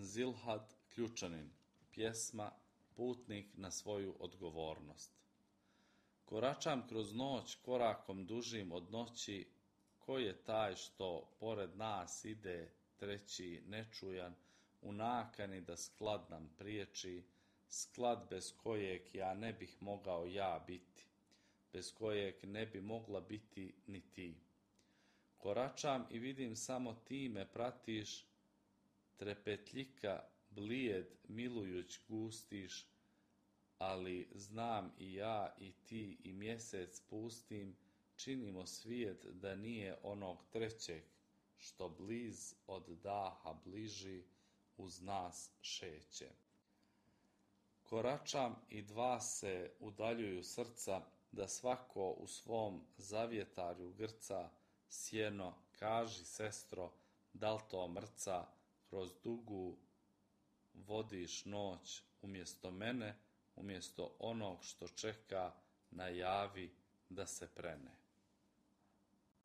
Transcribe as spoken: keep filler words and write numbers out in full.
Zilhad Ključanin, pjesma Putnik na svoju odgovornost. Koračam kroz noć korakom dužim od noći, ko je taj što pored nas ide treći nečujan, u nakani da sklad nam priječi, sklad bez kojeg ja ne bih mogao ja biti, bez kojeg ne bi mogla biti ni ti. Koračam i vidim samo ti me pratiš, trepetljika blijed milujuć gustiš, ali znam i ja i ti i mjesec pustim, činimo svijet da nije onog trećeg, što bliz od daha bliži uz nas šeće. Koračam i dva se udaljuju srca, da svako u svom zavjetarju grca, sjeno, kaži sestro, da li to mrca, kroz dugu vodiš noć umjesto mene, umjesto onog što čeka, najavi da se prene.